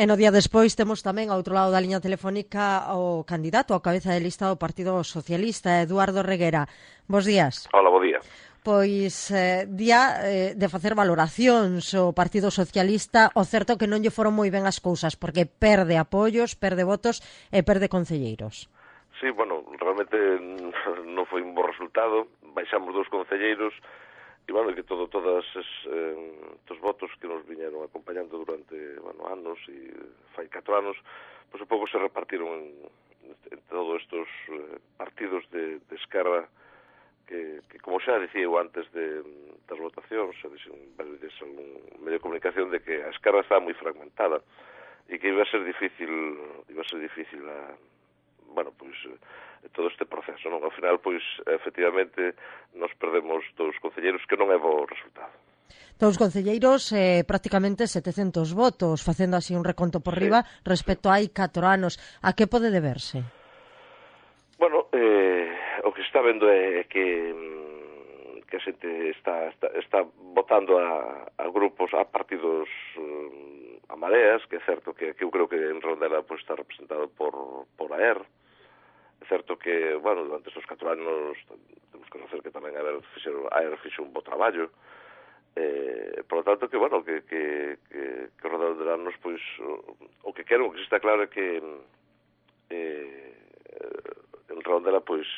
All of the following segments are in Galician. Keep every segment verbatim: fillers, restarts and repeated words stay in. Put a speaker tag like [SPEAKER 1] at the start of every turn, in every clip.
[SPEAKER 1] E no día despois temos tamén ao outro lado da liña telefónica o candidato ao cabeza de lista do Partido Socialista, Eduardo Reguera. Bos días.
[SPEAKER 2] Hola, bo día.
[SPEAKER 1] Pois eh, día eh, de facer valoracións o Partido Socialista, o certo que non lle foron moi ben as cousas, porque perde apoios, perde votos e perde concelleiros.
[SPEAKER 2] Sí, bueno, realmente non foi un bo resultado, baixamos dous concelleiros, e, bueno, que todo, todas es, eh, os votos que nos viñeron acompañando durante, bueno, anos, e fai catro anos, pois un pouco se repartiron en, en todos estes eh, partidos de, de esquerda, que, que, como xa dicía eu antes de, das votacións, xa dixen varios días algún medio de comunicación, de que a esquerda estaba moi fragmentada, e que iba a ser difícil, iba a ser difícil a, bueno, pois, todo este proceso, non? Ao final, pois, efectivamente, nos perdemos dous concelleiros, que non é bo resultado.
[SPEAKER 1] Dous concelleiros, eh, prácticamente setecentos votos, facendo así un reconto por
[SPEAKER 2] sí,
[SPEAKER 1] riba, respecto a hai catro anos. A que pode deberse?
[SPEAKER 2] Bueno, eh, o que se está vendo é que, que a xente está, está, está votando a, a grupos, a partidos, um, a mareas, que é certo que, que eu creo que en Redondela pois, está representado por, por A E R. É certo que, bueno, durante estes catro anos temos que conocer que tamén a E R fixo, a E R fixo un bo traballo. Eh, por lo tanto, que, bueno, que, que, que, que os redondelanos, pois, o, o que quero, o que está claro é que eh, en Redondela, pois,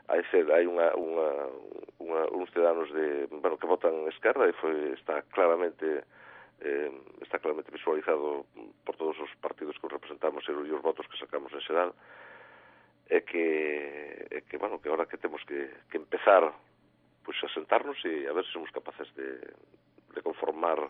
[SPEAKER 2] hai, hai unha, unha, unha, uns ciudadanos de, bueno, que votan esquerda e foi, está claramente eh, está claramente visualizado por todos os partidos que os representamos e os votos que sacamos en xeral. É que, é que, bueno, que ahora que temos que, que empezar pues, a sentarnos e a ver se somos capaces de, de conformar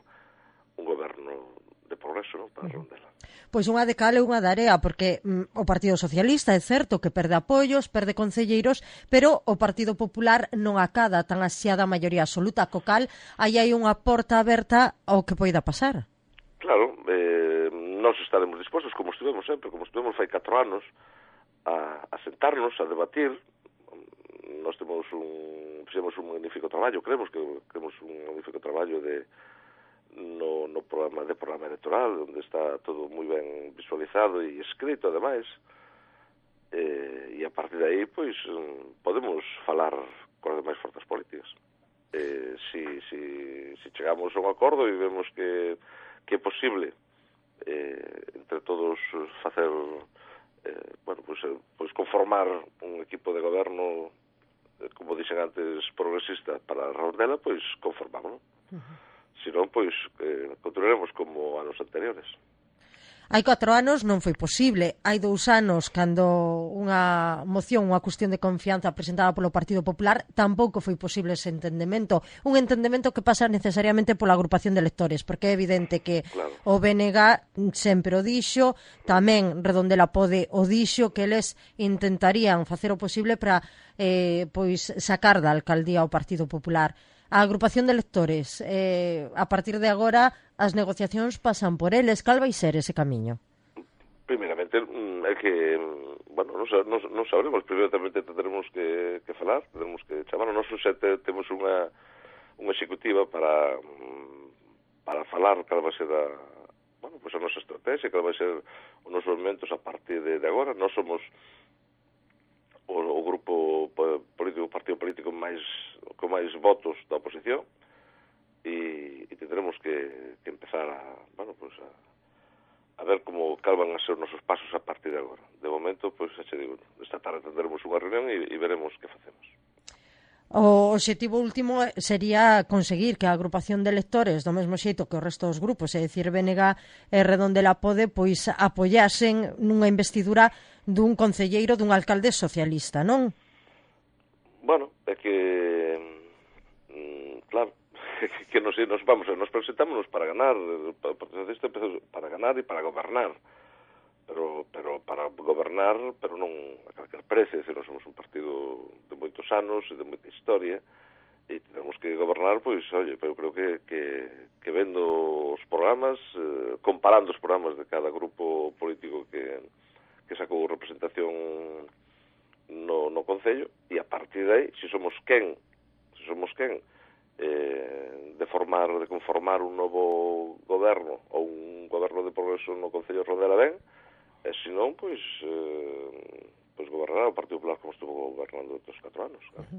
[SPEAKER 2] un goberno de progreso, non, para Redondela.
[SPEAKER 1] Pois unha de cal e unha de area, porque mm, o Partido Socialista é certo que perde apoios, perde concelleiros, pero o Partido Popular non acada tan asiada maioría absoluta, co cal aí hai unha porta aberta ao que poida pasar.
[SPEAKER 2] Claro, eh, nós estaremos dispostos, como estivemos sempre, como estivemos fai catro anos, a, a sentarnos, a debatir. Nós temos un, fixemos un magnífico traballo, creemos que temos un magnífico traballo de no, no programa de programa electoral, onde está todo moi ben visualizado e escrito, ademais, eh, e a partir de aí, pois, podemos falar con as demais forzas políticas. Eh, si, si, si chegamos a un acordo e vemos que, que é posible eh, entre todos facer Eh, bueno, pues, eh, pues conformar un equipo de goberno, eh, como dixen antes, progresista para Redondela, pois conformámoslo. Uh-huh. Si non, pois eh, continuaremos como anos anteriores.
[SPEAKER 1] Hai catro anos non foi posible. Hai dous anos, cando unha moción, unha cuestión de confianza presentada polo Partido Popular, tampouco foi posible ese entendemento. Un entendemento que pasa necesariamente pola agrupación de electores, porque é evidente que
[SPEAKER 2] claro.
[SPEAKER 1] O B N G sempre o dixo, tamén Redondela Pode o dixo, que eles intentarían facer o posible para eh, pois sacar da alcaldía o Partido Popular. A agrupación de electores, eh, a partir de agora, as negociacións pasan por eles. Cal vai ser ese camiño?
[SPEAKER 2] Primeiramente, é que, bueno, non, non, non sabremos. Primeiramente tendremos que, que falar, tendremos que chamar. Nós xa temos unha, unha executiva para, para falar cal vai ser a, bueno, pues a nosa estrategia, cal vai ser os nosos movimentos a partir de, de agora. Nós somos o, o grupo político, o partido político máis con máis votos da oposición e, e tendremos que, que empezar a, bueno, pues a, a ver como cal van a ser os nosos pasos a partir de agora. De momento, pois, pues, xa digo, esta tarde tendremos unha reunión e, e veremos que facemos.
[SPEAKER 1] O obxectivo último sería conseguir que a agrupación de electores, do mesmo xeito que o resto dos grupos, é dicir, B N G e Redondela Pode, pois apoyasen nunha investidura dun concelleiro, dun alcalde socialista, non?
[SPEAKER 2] Bueno, é que mm, claro, que nos, nos vamos, nos presentámonos para ganar, para, para ganar e para gobernar, pero pero para gobernar, pero non a calquer precio, decir, nós somos un partido de moitos anos e de moita historia, e tenemos que gobernar, pois, oye, eu creo que, que, que vendo os programas, eh, comparando os programas de cada grupo político que, que sacou representación no, no Concello, e a partir de aí, se somos quen, se somos quen, eh, de formar, de conformar un novo goberno ou un goberno de progreso no Concello de Redondela ben, e se non, pois, eh, pois gobernará o Partido Popular como estuvo gobernando estes catro anos. Claro.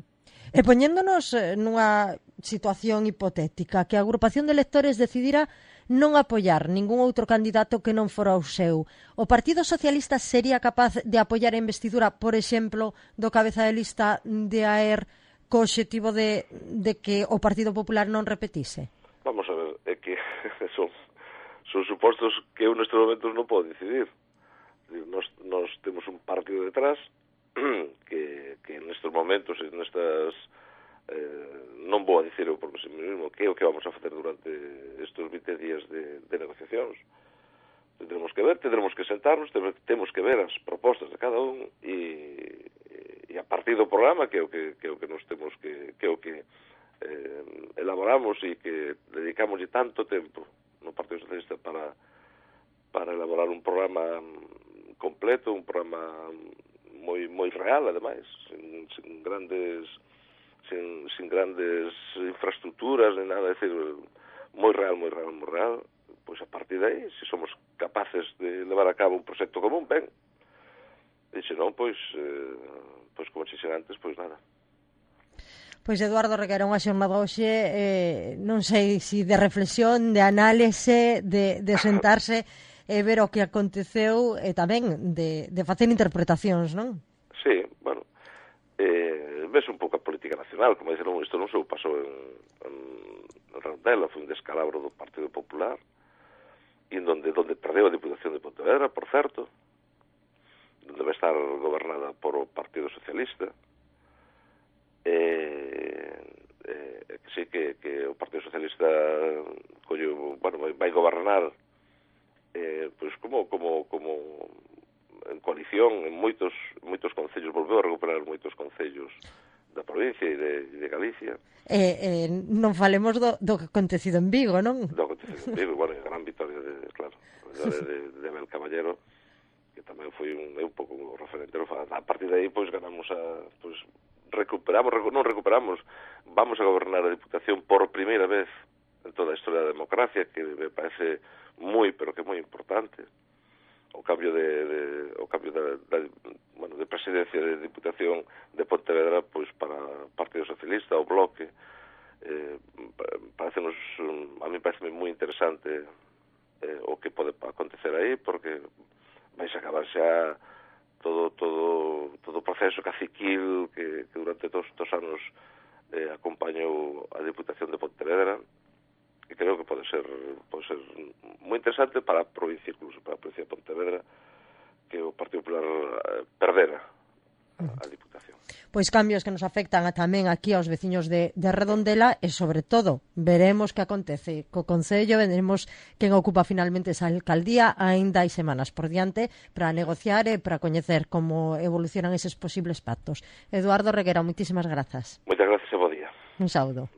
[SPEAKER 1] E poñéndonos nunha situación hipotética, que a agrupación de electores decidira non apoiar ningún outro candidato que non fora o seu, o Partido Socialista sería capaz de apoiar a investidura, por exemplo, do cabeza de lista de Aer co obxectivo de, de que o Partido Popular non repetise?
[SPEAKER 2] Vamos a ver, é que son, son supostos que eu nestes momentos non podo decidir. Nos, nos temos un partido detrás que, que nestes momentos e nestas eh, non vou a dicir eu por mí mesmo que é o que vamos a facer durante estes vinte días de, de negociacións. Tendremos que ver, tendremos que sentarnos, temos que ver as propostas de cada un e, e a partir do programa que é o que, que, é o que nos temos que, que é o que eh, elaboramos e que dedicamos tanto tempo no Partido Socialista para, para elaborar un programa completo, un programa moi moi real, ademais, sin, sin grandes sin, sin grandes infraestructuras ni nada, é dicir, moi real, moi real, moi real. Pois a partir de aí, se somos capaces de levar a cabo un proxecto común, ben. E se non, pois, eh, pois como dixen antes, pois nada.
[SPEAKER 1] Pois Eduardo Reguera, unha xornada hoxe, eh, non sei se de reflexión, de análise, de, de sentarse e ver o que aconteceu e tamén de, de facer interpretacións, non?
[SPEAKER 2] Sí, bueno, eh, ves un pouco a política nacional, como dixeron, isto non se pasou en, en, en Redondela, foi un descalabro do Partido Popular, e donde, donde perdeu a Diputación de Pontevedra, por certo, donde vai estar gobernada por o Partido Socialista, eh, eh, que sí que, que o Partido Socialista collo, bueno, vai, vai gobernar eh, pois como, como, como en coalición en moitos, moitos concellos, volveu a recuperar moitos concellos da provincia e de, de Galicia.
[SPEAKER 1] Eh, eh, non falemos do, do que acontecido en Vigo, non?
[SPEAKER 2] Do acontecido en Vigo, bueno, a gran victoria de, claro, de, de, de Abel Caballero, que tamén foi un, un pouco un referente. A partir de aí, pois, ganamos a, pois, recuperamos, recu, non recuperamos, vamos a gobernar a Diputación por primeira vez en toda a historia da democracia, que me parece moi, pero que moi importante. O cambio de, de o cambio da, da, bueno, de presidencia de Diputación de Pontevedra, pois para o Partido Socialista, o Bloque, eh, parecenos, a mí parece moi interesante eh, o que pode acontecer aí, porque vais a acabar xa todo todo todo o proceso caciquil que, que durante todos estes anos eh, acompañou a Diputación de Pontevedra, e creo que pode ser pode ser moi interesante para a provincia, incluso para a provincia de Pontevedra, que o Partido Popular eh, perdera a, a Diputación.
[SPEAKER 1] Pois cambios que nos afectan a, tamén aquí aos veciños de, de Redondela e, sobre todo, veremos que acontece co Concello, veremos quen ocupa finalmente esa alcaldía, aínda hai semanas por diante para negociar e para coñecer como evolucionan eses posibles pactos. Eduardo Reguera, moitísimas grazas.
[SPEAKER 2] Moitas grazas e bo día.
[SPEAKER 1] Un saúdo.